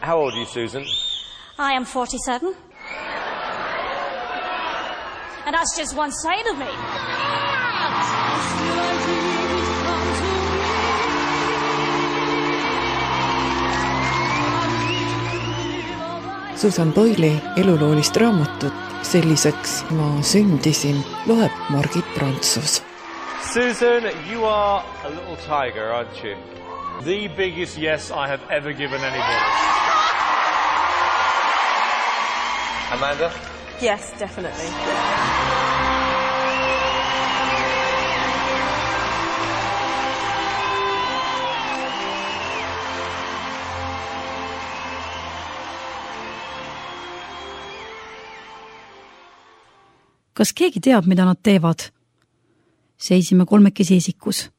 How old are you, Susan? I am 47. And that's just one side of me. Susan Boyle'i eluloolist raamatut Selliseks ma sündisin loeb Margit Prantsus. Susan, you are a little tiger, aren't you? The biggest yes I have ever given anybody. Amanda? Yes, definitely. Kas keegi teab, mida nad teevad? Seisime kolmekesi esikus.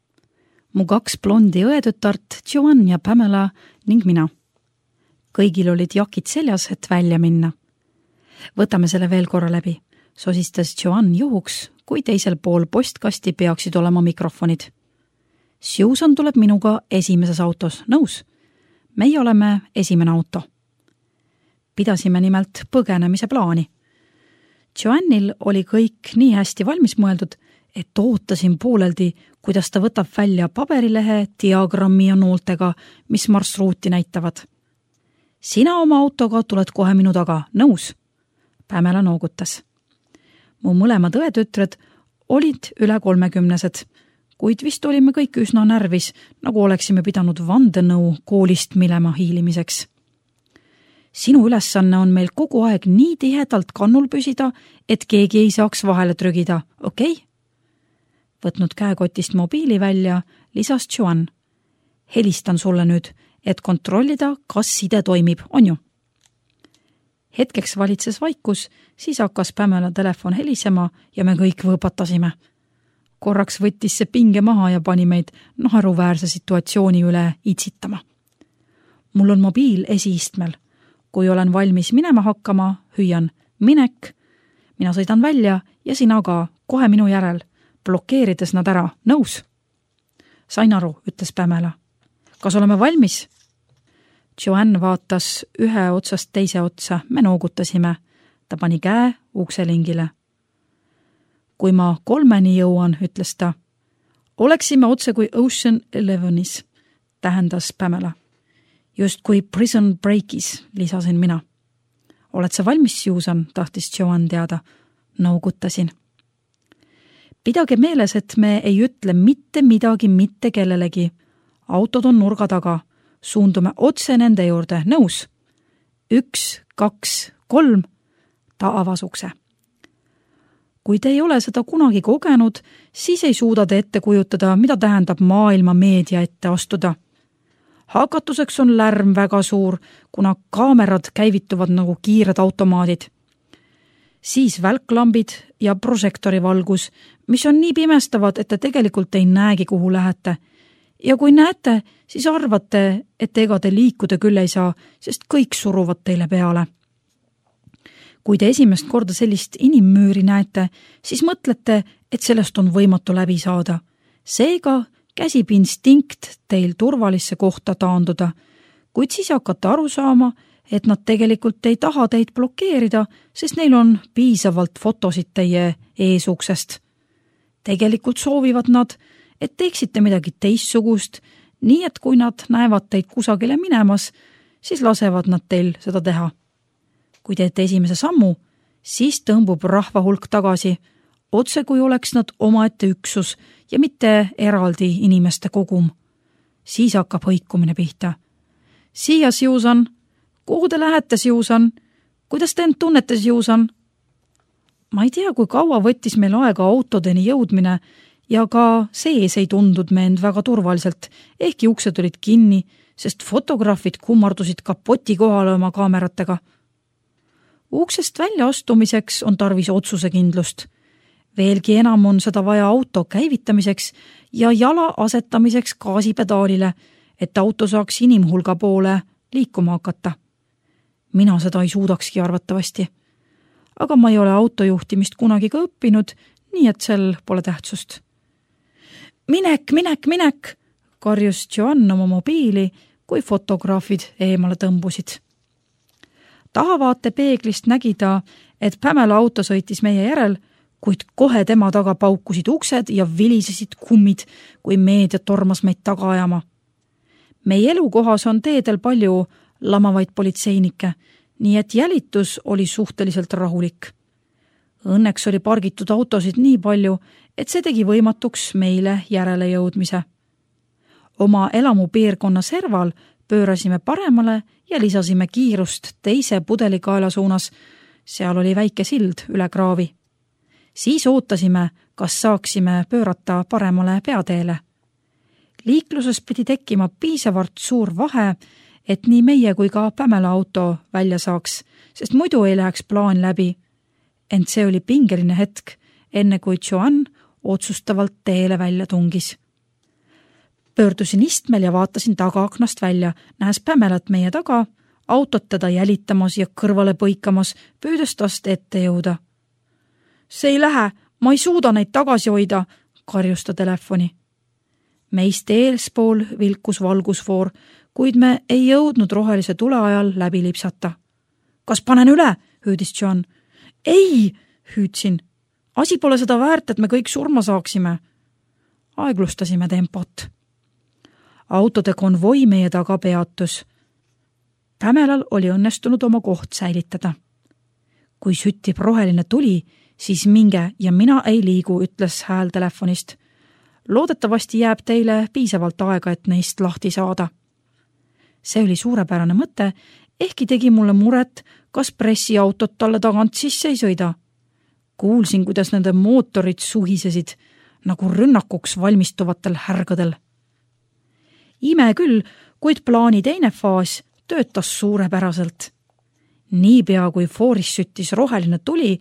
Mu 2 blondi õetütart, Joanne ja Pamela ning mina. Kõigil olid jakid seljas, et välja minna. Võtame selle veel korra läbi, sosistas Joanne juhuks, kui teisel pool postkasti peaksid olema mikrofonid. Susan tuleb minuga esimeses autos, nõus. Meie oleme esimene auto. Pidasime nimelt põgenemise plaani. Joanne'il oli kõik nii hästi valmis mõeldud, et ootasin pooleldi, kuidas ta võtab välja paberilehe, diagrammi ja nooltega, mis marsruuti näitavad. Sina oma autoga tuled kohe minu taga, nõus? Pamela noogutas. Mu mõlemad õetütred olid üle 30-sed, kuid vist olime kõik üsna närvis, nagu oleksime pidanud vandenõu koolist minema hiilimiseks. Sinu ülesanne on meil kogu aeg nii tihedalt kannul püsida, et keegi ei saaks vahele trügida, okei? Võtnud käekotist mobiili välja, lisas Joanne. Helistan sulle nüüd, et kontrollida, kas side toimib, on ju? Hetkeks valitses vaikus, siis hakkas Pamela telefon helisema ja me kõik võõpatasime. Korraks võttis see pinge maha ja pani meid naeruväärse situatsiooni üle itsitama. Mul on mobiil esiistmel. Kui olen valmis minema hakkama, hüüan minek, mina sõidan välja ja sina ka, kohe minu järel, blokeerides nad ära, nõus? Sain aru, ütles Pamela. Kas oleme valmis? Joanne vaatas ühe otsast teise otsa, me noogutasime. Ta pani käe ukselingile. Kui ma 3 jõuan, ütles ta. Oleksime otse kui Ocean 11-is, tähendas Pamela. Just kui Prison Breakis, lisasin mina. Oled sa valmis, Susan, tahtis Joanne teada. Noogutasin. Pidage meeles, et me ei ütle mitte midagi mitte kellelegi. Autod on nurga taga. Suundume otse nende juurde. Nõus? 1, 2, 3. Ta avas ukse. Kui te ei ole seda kunagi kogenud, siis ei suuda te ette kujutada, mida tähendab maailma meedia ette astuda. Hakatuseks on lärm väga suur, kuna kaamerad käivituvad nagu kiired automaadid. Siis välklambid ja prožektori valgus, mis on nii pimestavad, et te tegelikult ei näegi, kuhu lähete. Ja kui näete, siis arvate, et ega te liikuda küll ei saa, sest kõik suruvad teile peale. Kui te esimest korda sellist inimmüüri näete, siis mõtlete, et sellest on võimatu läbi saada. Seega käsib instinkt teil turvalisse kohta taanduda, kuid siis hakkate aru saama, et nad tegelikult ei taha teid blokeerida, sest neil on piisavalt fotosid teie eesuksest. Tegelikult soovivad nad, et teeksite midagi teistsugust, nii et kui nad näevad teid kusagile minemas, siis lasevad nad teil seda teha. Kui teete esimese sammu, siis tõmbub rahva hulk tagasi, otse kui oleks nad omaette üksus ja mitte eraldi inimeste kogum. Siis hakkab hõikumine pihta. Siia, Susan. Kuhu te lähete, Susan? Kuidas te end tunnete, Susan? Ma ei tea, kui kaua võttis meil aega autodeni jõudmine ja ka sees ei tundud me end väga turvaliselt, ehkki uksed olid kinni, sest fotograafid kummardusid kapoti kohale oma kaameratega. Uksest välja astumiseks on tarvis otsusekindlust. Veelgi enam on seda vaja auto käivitamiseks ja jala asetamiseks gaasipedaalile, et auto saaks inimhulga poole liikuma hakata. Mina seda ei suudakski arvatavasti. Aga ma ei ole autojuhtimist kunagi ka õppinud, nii et sel pole tähtsust. Minek, karjus Joanne oma mobiili, kui fotograafid eemale tõmbusid. Tahavaatepeeglist nägi ta, et Pamela auto sõitis meie järel, kuid kohe tema taga paukusid uksed ja vilisesid kummid, kui meedia tormas meid taga ajama. Meie elukohas on teedel palju lamavaid politseinikke, nii et jälitus oli suhteliselt rahulik. Õnneks oli pargitud autosid nii palju, et see tegi võimatuks meile järele jõudmise. Oma elamupiirkonna serval pöörasime paremale ja lisasime kiirust teise pudelikaela suunas. Seal oli väike sild üle kraavi. Siis ootasime, kas saaksime pöörata paremale peateele. Liikluses pidi tekkima piisavalt suur vahe, et nii meie kui ka Pamela auto välja saaks, sest muidu ei läheks plaan läbi. Ent see oli pingeline hetk, enne kui Joan otsustavalt teele välja tungis. Pöördusin istmel ja vaatasin tagaaknast välja, nähes Pamelat meie taga, autot teda jälitamas ja kõrvale põikamas, püüdes tast ette jõuda. See ei lähe, ma ei suuda neid tagasi hoida, karjus ta telefoni. Meist eelspool vilkus valgusfoor, kuid me ei jõudnud rohelise tule ajal läbi lipsata. Kas panen üle, hüüdis John. Ei, hüüdsin. Asi pole seda väärt, et me kõik surma saaksime. Aeglustasime tempot. Autode konvoi meie taga peatus. Pamelal oli õnnestunud oma koht säilitada. Kui süttib roheline tuli, siis minge ja mina ei liigu, ütles hääl telefonist. Loodetavasti jääb teile piisavalt aega, et neist lahti saada. See oli suurepärane mõte, ehkki tegi mulle muret, kas pressiautot talle tagant sisse ei sõida. Kuulsin, kuidas nende mootorid suhisesid, nagu rünnakuks valmistuvatel härgadel. Ime küll, kuid plaani teine faas töötas suurepäraselt. Niipea kui fooris süttis roheline tuli,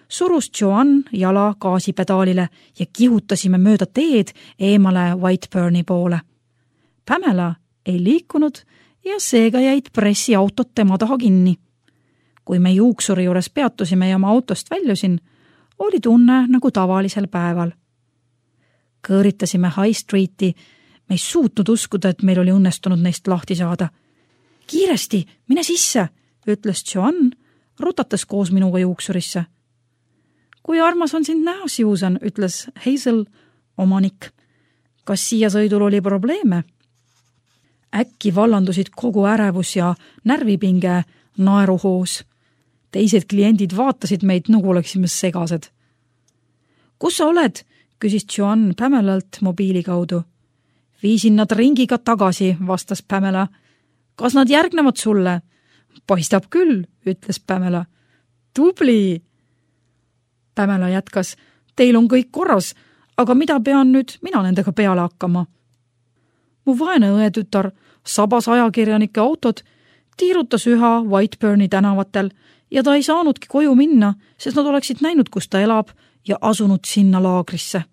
surus Joan jala gaasipedaalile ja kihutasime mööda teed eemale Whiteburni poole. Pamela ei liikunud ja seega jäid pressiautot tema taha kinni. Kui me juuksuri juures peatusime ja oma autost väljusin, oli tunne nagu tavalisel päeval. Kõõritasime High Streeti, me ei suutnud uskuda, et meil oli õnnestunud neist lahti saada. Kiiresti, mine sisse, ütles Joan, rutates koos minuga juuksurisse. Kui armas on sind näha, Susan, ütles Hazel, omanik. Kas siia sõidul oli probleeme? Äkki vallandusid kogu ärevus ja närvipinge naeruhoos. Teised kliendid vaatasid meid, nagu oleksime segased. Kus sa oled? Küsis Joan Pamelalt mobiili kaudu. Viisin nad ringiga tagasi, vastas Pamela. Kas nad järgnevad sulle? Paistab küll, ütles Pamela. Tubli! Pamela jätkas, teil on kõik korras, aga mida pean nüüd mina nendega peale hakkama? Mu vaene õetütar sabas ajakirjanike autod, tiirutas üha Whiteburni tänavatel ja ta ei saanudki koju minna, sest nad oleksid näinud, kus ta elab ja asunud sinna laagrisse.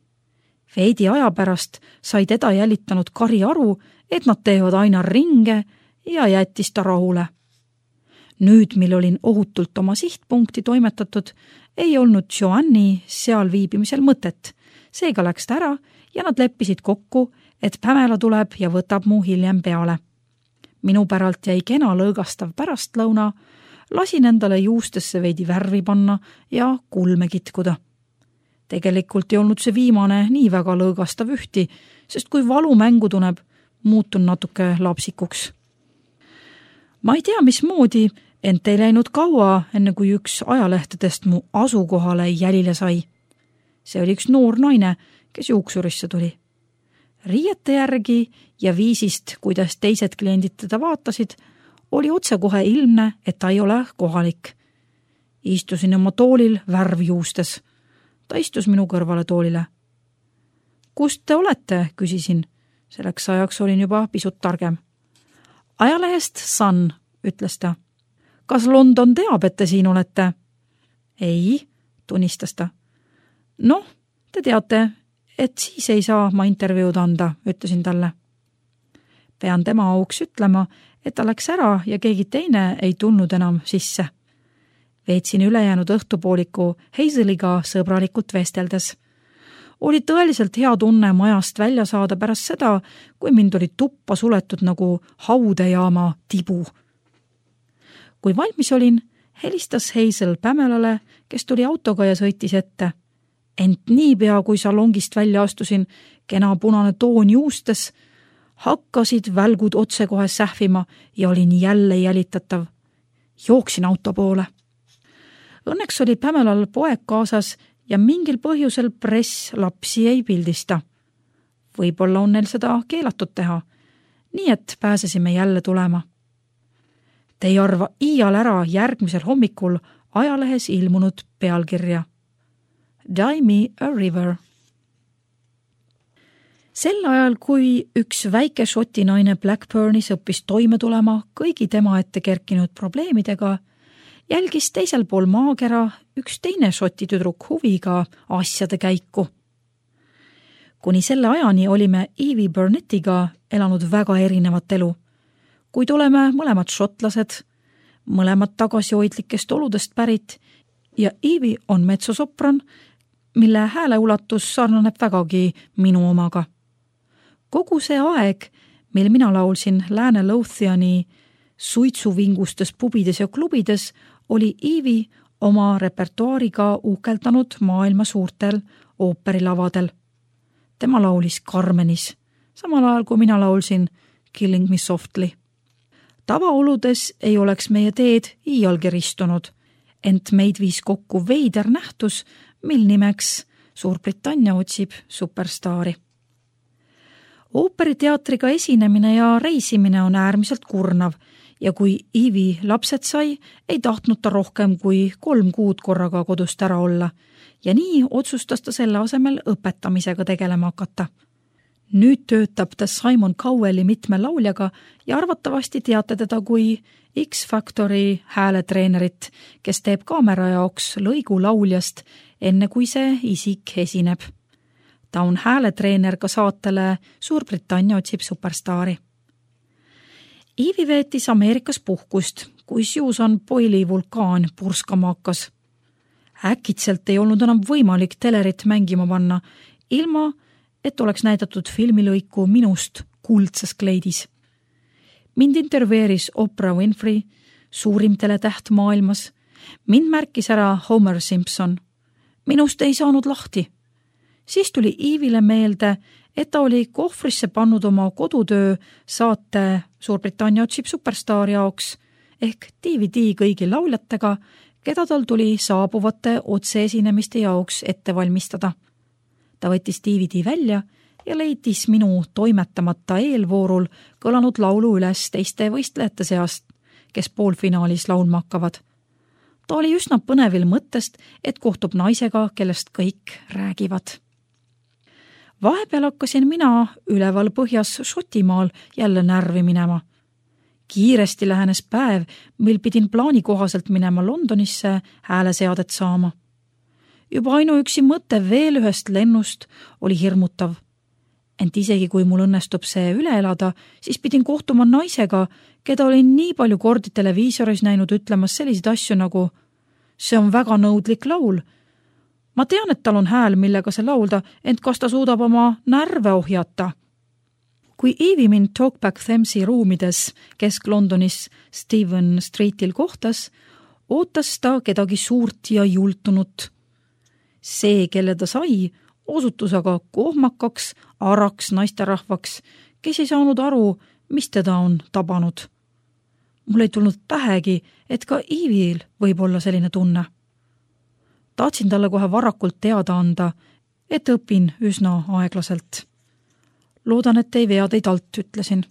Veidi aja pärast sai teda jälitanud Kari aru, et nad teevad aina ringe ja jättis ta rahule. Nüüd, mil olin ohutult oma sihtpunkti toimetatud, ei olnud Joanni seal viibimisel mõtet. Seega läks ta ära ja nad leppisid kokku, et Pamela tuleb ja võtab mu hiljem peale. Minu päralt jäi kena lõõgastav pärastlõuna, lasin endale juustesse veidi värvi panna ja kulme kitkuda. Tegelikult ei olnud see viimane nii väga lõõgastav ühti, sest kui valu mängu tuneb, muutun natuke lapsikuks. Ma ei tea, mismoodi, ent ei läinud kaua, enne kui üks ajalehtedest mu asukohale jälile sai. See oli üks noor naine, kes juuksurisse tuli. Riiete järgi ja viisist, kuidas teised kliendid teda vaatasid, oli otsekohe ilmne, et ta ei ole kohalik. Istusin oma toolil värv juustes. Ta istus minu kõrvale toolile. Kust te olete, küsisin. Selleks ajaks olin juba pisut targem. Ajalehest Sun, ütles ta. Kas London teab, et te siin olete? Ei, tunnistas ta. Noh, te teate, et siis ei saa ma intervjuud anda, ütlesin talle. Pean tema auks ütlema, et ta läks ära ja keegi teine ei tulnud enam sisse. Veetsin ülejäänud õhtupooliku Hazeliga sõbralikult vesteldes. Oli tõeliselt hea tunne majast välja saada pärast seda, kui mind oli tuppa suletud nagu haudejaama tibu. Kui valmis olin, helistas Hazel Pamelale, kes tuli autoga ja sõitis ette. Ent niipea, kui salongist välja astusin, kena punane toon juustes, hakkasid välgud otsekohe sähvima ja olin jälle jälitatav. Jooksin auto poole. Õnneks oli Pamelal poeg kaasas ja mingil põhjusel press lapsi ei pildista. Võib-olla on neil seda keelatud teha, nii et pääsesime jälle tulema. Te ei arva iial ära järgmisel hommikul ajalehes ilmunud pealkirja. Die me a river. Sel ajal, kui üks väike šoti naine Blackburnis õppis toime tulema kõigi tema ette kerkinud probleemidega, jälgis teisel pool maakera üks teine šoti tüdruk huviga asjade käiku. Kuni selle ajani olime Evie Burnettiga elanud väga erinevat elu, kuid oleme mõlemad šotlased, mõlemad tagasihoidlikest oludest pärit ja Evie on metsosopran, mille hääleulatus sarnaneb vägagi minu omaga. Kogu see aeg, mil mina laulsin Lääne Lothiani suitsuvingustes pubides ja klubides, oli Evie oma repertuaariga uhkeldanud maailma suurtel ooperilavadel. Tema laulis Carmenis, samal ajal kui mina laulsin Killing Me Softly. Tavaoludes ei oleks meie teed iialgi ristunud, ent meid viis kokku veider nähtus, mil nimeks Suurbritannia otsib superstaari. Ooperiteatriga esinemine ja reisimine on äärmiselt kurnav ja kui Evie lapsed sai, ei tahtnud ta rohkem kui 3 kuud korraga kodust ära olla ja nii otsustas ta selle asemel õpetamisega tegelema hakata. Nüüd töötab ta Simon Cowelli mitme lauljaga ja arvatavasti teate teda kui X-Factori hääletreenerit, kes teeb kaamera jaoks lõigu lauljast, enne kui see isik esineb. Ta on hääletreener ka saatele Suurbritannia otsib superstaari. Evie veetis Ameerikas puhkust, kui Susan Boyle'i vulkaan purskama hakkas. Äkitselt ei olnud enam võimalik telerit mängima panna, ilma et oleks näidatud filmilõiku minust kuldses kleidis. Mind intervjueeris Oprah Winfrey, suurim teletäht maailmas. Mind märkis ära Homer Simpson. Minust ei saanud lahti. Siis tuli Evile meelde, et ta oli kohvrisse pannud oma kodutöö saate Suurbritannia otsib superstaari jaoks ehk DVD kõigi lauljatega, keda tal tuli saabuvate otseesinemiste jaoks ette valmistada. Ta võttis DVD välja ja leidis minu toimetamata eelvoorul kõlanud laulu üles teiste võistlejate seast, kes poolfinaalis laulma hakkavad. Ta oli üsna põnevil mõttest, et kohtub naisega, kellest kõik räägivad. Vahepeal hakkasin mina üleval põhjas Šotimaal jälle närvi minema. Kiiresti lähenes päev, mil pidin plaani kohaselt minema Londonisse hääleseadet saama. Juba ainuüksi mõte veel ühest lennust oli hirmutav. Ent isegi kui mul õnnestub see üle elada, siis pidin kohtuma naisega, keda olin nii palju kordi televiisoris näinud ütlemas selliseid asju nagu see on väga nõudlik laul. Ma tean, et tal on hääl, millega see laulda, ent kas ta suudab oma närve ohjata? Kui Evie mind Talkback Thamesi ruumides Kesk-Londonis Stephen Streetil kohtas, ootas ta kedagi suurt ja jultunut. See, kelle ta sai, osutus aga kohmakaks, araks naisterahvaks, kes ei saanud aru, mis teda on tabanud. Mul ei tulnud pähegi, et ka Eviel võib olla selline tunne. Tahtsin talle kohe varakult teada anda, et õpin üsna aeglaselt. Loodan, et ei vea teid alt, ütlesin.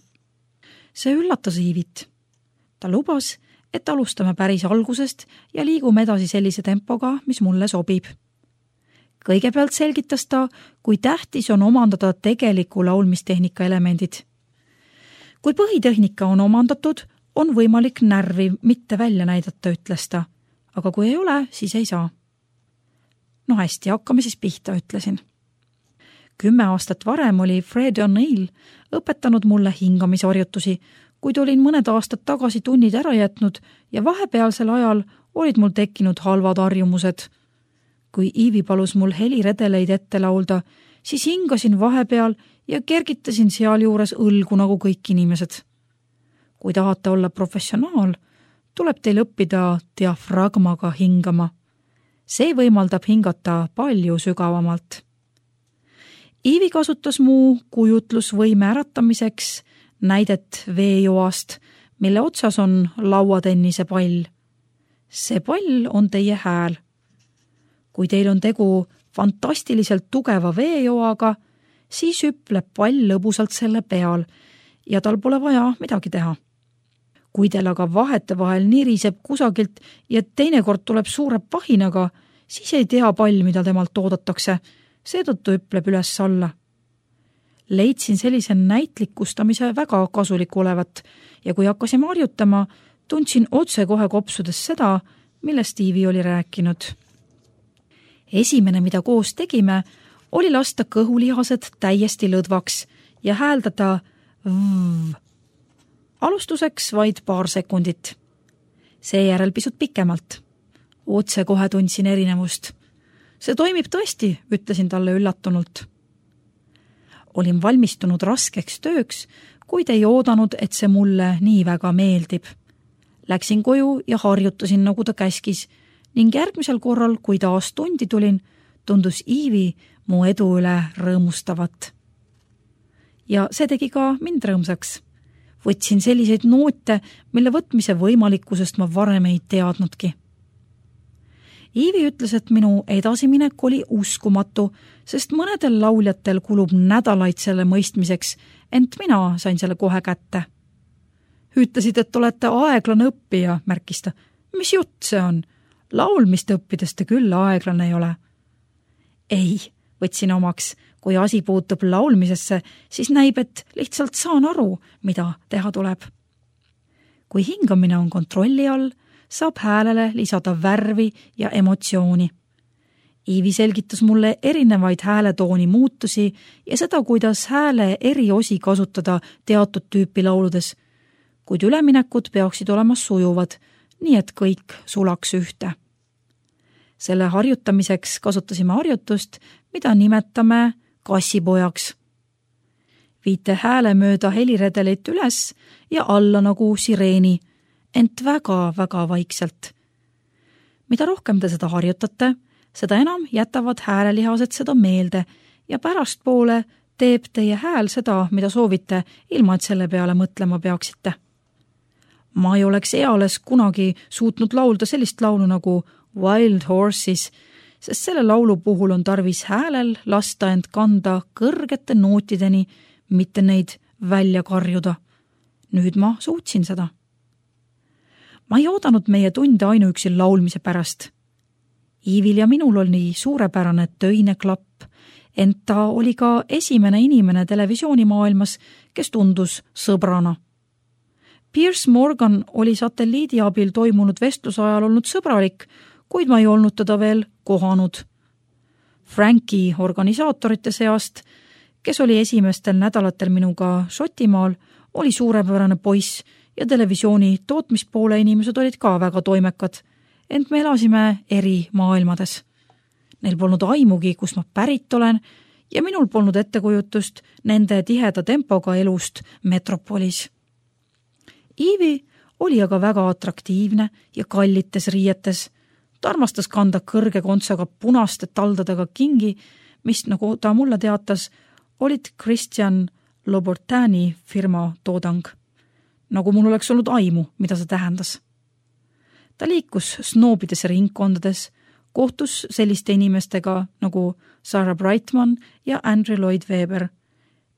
See üllatas Evit. Ta lubas, et alustame päris algusest ja liigume edasi sellise tempoga, mis mulle sobib. Kõigepealt selgitas ta, kui tähtis on omandada tegeliku laulmistehnika elemendid. Kui põhitehnika on omandatud, on võimalik närvi mitte välja näidata, ütles ta, aga kui ei ole, siis ei saa. No hästi, hakkame siis pihta, ütlesin. 10 aastat varem oli Fred O'Neill õpetanud mulle hingamisharjutusi, kuid olin mõned aastad tagasi tunnid ära jätnud ja vahepealsel ajal olid mul tekkinud halvad harjumused. Kui Evie palus mul heliredeleid ette laulda, siis hingasin vahepeal ja kergitasin sealjuures õlgu nagu kõik inimesed. Kui tahate olla professionaal, tuleb teil õppida diafragmaga hingama. See võimaldab hingata palju sügavamalt. Iivi kasutas mu kujutlusvõime äratamiseks näidet veejoast, mille otsas on lauatennise pall. See pall on teie hääl. Kui teil on tegu fantastiliselt tugeva veejoaga, siis hüpleb pall lõbusalt selle peal ja tal pole vaja midagi teha. Kui teil aga vahetevahel niriseb kusagilt ja teinekord tuleb suure pahinaga, siis ei tea pall, mida temalt oodatakse, seetõttu hüpleb üles alla. Leidsin sellise näitlikustamise väga kasulik olevat ja kui hakkasime harjutama, tundsin otse kohe kopsudes seda, millest Iivi oli rääkinud. Esimene, mida koos tegime, oli lasta kõhulihased täiesti lõdvaks ja hääldada v. Alustuseks vaid paar sekundit. Seejärel pisut pikemalt. Otse kohe tundsin erinevust. See toimib tõesti, ütlesin talle üllatunult. Olin valmistunud raskeks tööks, kuid ei oodanud, et see mulle nii väga meeldib. Läksin koju ja harjutasin, nagu ta käskis, ning järgmisel korral, kui taas tundi tulin, tundus Iivi mu edu üle rõõmustavat. Ja see tegi ka mind rõõmsaks. Võtsin selliseid noote, mille võtmise võimalikkusest ma varem ei teadnudki. Iivi ütles, et minu edasiminek oli uskumatu, sest mõnedel lauljatel kulub nädalaid selle mõistmiseks, ent mina sain selle kohe kätte. Ütlesid, et olete aeglane õppija, märkis ta. Mis jutt see on? Laulmist õppides te küll aeglane ei ole. Ei, võtsin omaks. Kui asi puutub laulmisesse, siis näib, et lihtsalt saan aru, mida teha tuleb. Kui hingamine on kontrolli all, saab häälele lisada värvi ja emotsiooni. Iivi selgitas mulle erinevaid hääletooni muutusi ja seda, kuidas hääle eri osi kasutada teatud tüüpi lauludes, kuid üleminekud peaksid olema sujuvad, nii et kõik sulaks ühte. Selle harjutamiseks kasutasime harjutust, mida nimetame kassipojaks. Viite hääle mööda heliredelit üles ja alla nagu sireeni, ent väga-väga vaikselt. Mida rohkem te seda harjutate, seda enam jätavad häälelihased seda meelde ja pärastpoole teeb teie hääl seda, mida soovite, ilma et selle peale mõtlema peaksite. Ma ei oleks eales kunagi suutnud laulda sellist laulu nagu Wild Horses, sest selle laulu puhul on tarvis häälel lasta end kanda kõrgete nootideni, mitte neid välja karjuda. Nüüd ma suutsin seda. Ma ei oodanud meie tunde ainuüksi laulmise pärast. Iivil ja minul oli suurepärane töine klapp, ent ta oli ka esimene inimene televisioonimaailmas, kes tundus sõbrana. Piers Morgan oli satelliidi abil toimunud vestluse ajal olnud sõbralik, kuid ma ei olnud teda veel kohanud. Franki organisaatorite seast, kes oli esimestel nädalatel minuga Šotimaal, oli suurepärane poiss ja televisiooni tootmispoole inimesed olid ka väga toimekad, ent me elasime eri maailmades. Neil polnud aimugi, kus ma pärit olen ja minul polnud ettekujutust nende tiheda tempoga elust metropolis. Iivi oli aga väga atraktiivne ja kallites riietes. Ta armastas kanda kõrge kontsaga punaste taldadega kingi, mis, nagu ta mulle teatas, olid Christian Louboutin firma toodang. Nagu mul oleks olnud aimu, mida see tähendas. Ta liikus snoobides ringkondades, kohtus selliste inimestega nagu Sarah Brightman ja Andrew Lloyd Webber.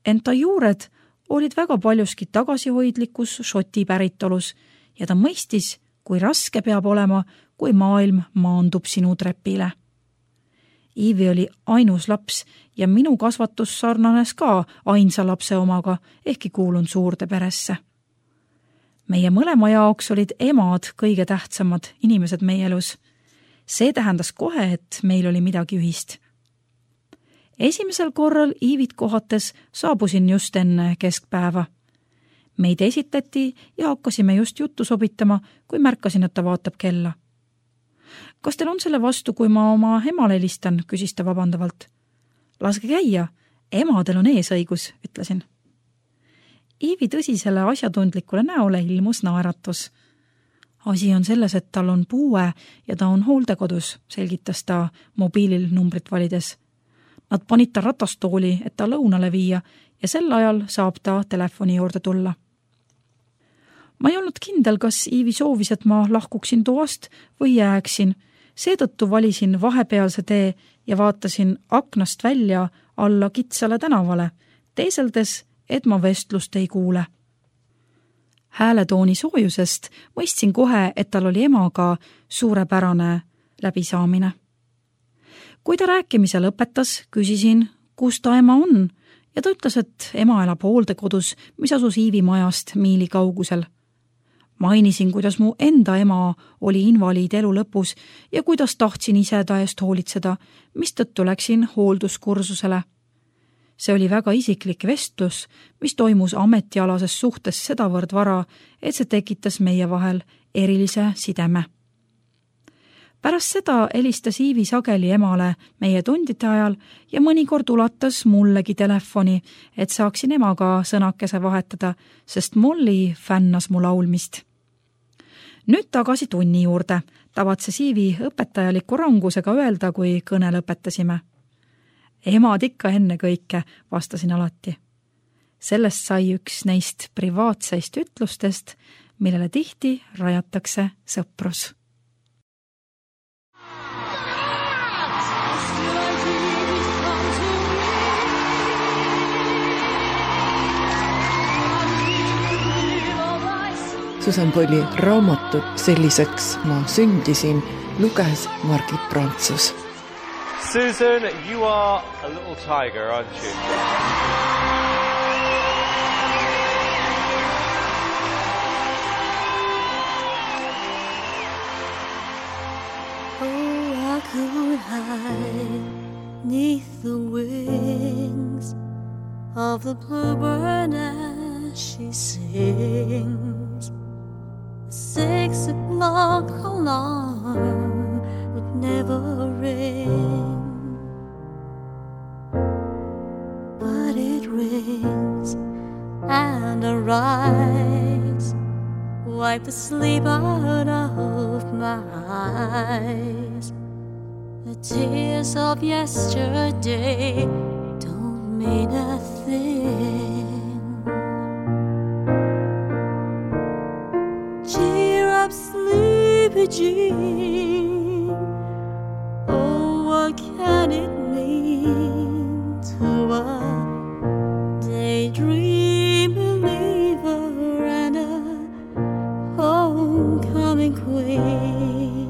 Ent ta juured olid väga paljuski tagasihoidlikus Šoti päritolus ja ta mõistis, kui raske peab olema, kui maailm maandub sinu trepile. Iivi oli ainus laps ja minu kasvatus sarnanes ka ainsa lapse omaga, ehkki kuulun suurde peresse. Meie mõlema jaoks olid emad kõige tähtsamad inimesed meie elus. See tähendas kohe, et meil oli midagi ühist. Esimesel korral Iivit kohates saabusin just enne keskpäeva. Meid esitati ja hakkasime just juttu sobitama, kui märkasin, et ta vaatab kella. Kas teil on selle vastu, kui ma oma emale helistan, küsis ta vabandavalt. Laske käia, emadel on eesõigus, ütlesin. Iivi tõsisele asjatundlikule näole ilmus naeratus. Asi on selles, et tal on puue ja ta on hooldekodus, selgitas ta mobiilil numbrit valides. Nad panid ta ratastooli, et ta lõunale viia ja sel ajal saab ta telefoni juurde tulla. Ma ei olnud kindel, kas Iivi soovis, et ma lahkuksin toast või jääksin. Seetõttu valisin vahepealse tee ja vaatasin aknast välja alla kitsale tänavale, teeseldes, et ma vestlust ei kuule. Hääletooni soojusest mõistsin kohe, et tal oli emaga suurepärane läbisaamine. Kui ta rääkimise lõpetas, küsisin, kus ta ema on ja ta ütles, et ema elab hooldekodus, mis asus Iivi majast miili kaugusel. Mainisin, kuidas mu enda ema oli invaliid elu lõpus ja kuidas tahtsin ise ta eest hoolitseda, mistõttu läksin hoolduskursusele. See oli väga isiklik vestlus, mis toimus ametialases suhtes sedavõrd vara, et see tekitas meie vahel erilise sideme. Pärast seda helistas Iivi sageli emale meie tundide ajal ja mõnikord ulatas mullegi telefoni, et saaksin emaga sõnakese vahetada, sest Molly fännas mu laulmist. Nüüd tagasi tunni juurde, tavatses Iivi õpetajaliku rangusega öelda, kui kõne lõpetasime. Emad ikka enne kõike, vastasin alati. Sellest sai üks neist privaatseist ütlustest, millele tihti rajatakse sõprus. Susan Boyle'i raamatut Selliseks ma sündisin luges Margit Prantsus. Susan, you are a little tiger, aren't you? Oh, I could hide 'neath the wings of the bluebird as she sings. 6 o'clock alarm would never ring, but it rings and I rise, wipe the sleep out of my eyes. The tears of yesterday don't mean a thing. Cheer up, sleepy Jean. Oh, what can it mean to a daydream believer and a homecoming queen?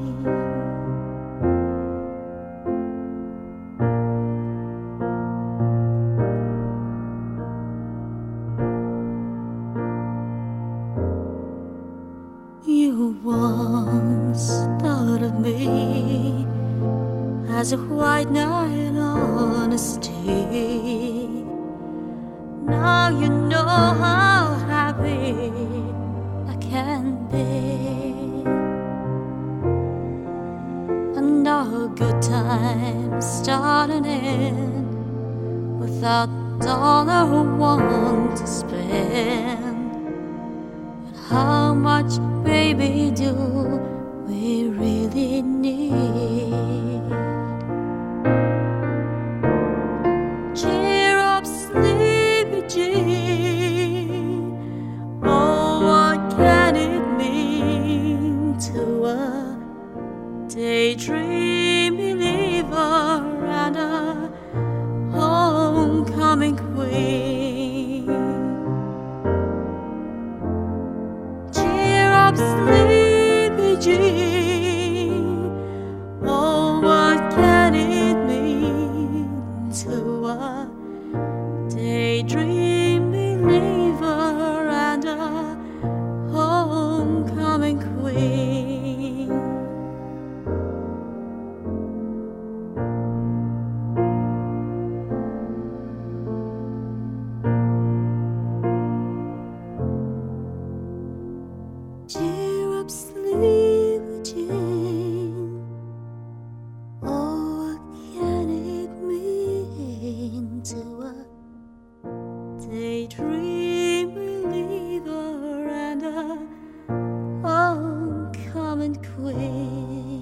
You once thought of me as a white knight on a steed. Now you know how happy I can be, and our good times start and end without $1 or $1 to spend. But how much, baby, do we really need? Cheer up, sleepy Jean. Oh, what can it mean to a daydream believer and a homecoming queen? Cheer up, sleepy Jean. Oh, what can it mean to a daydream believer and a homecoming queen? Cheer up, sleepy Jean. Oh, what can it mean to a daydream believer and a homecoming haven't quit.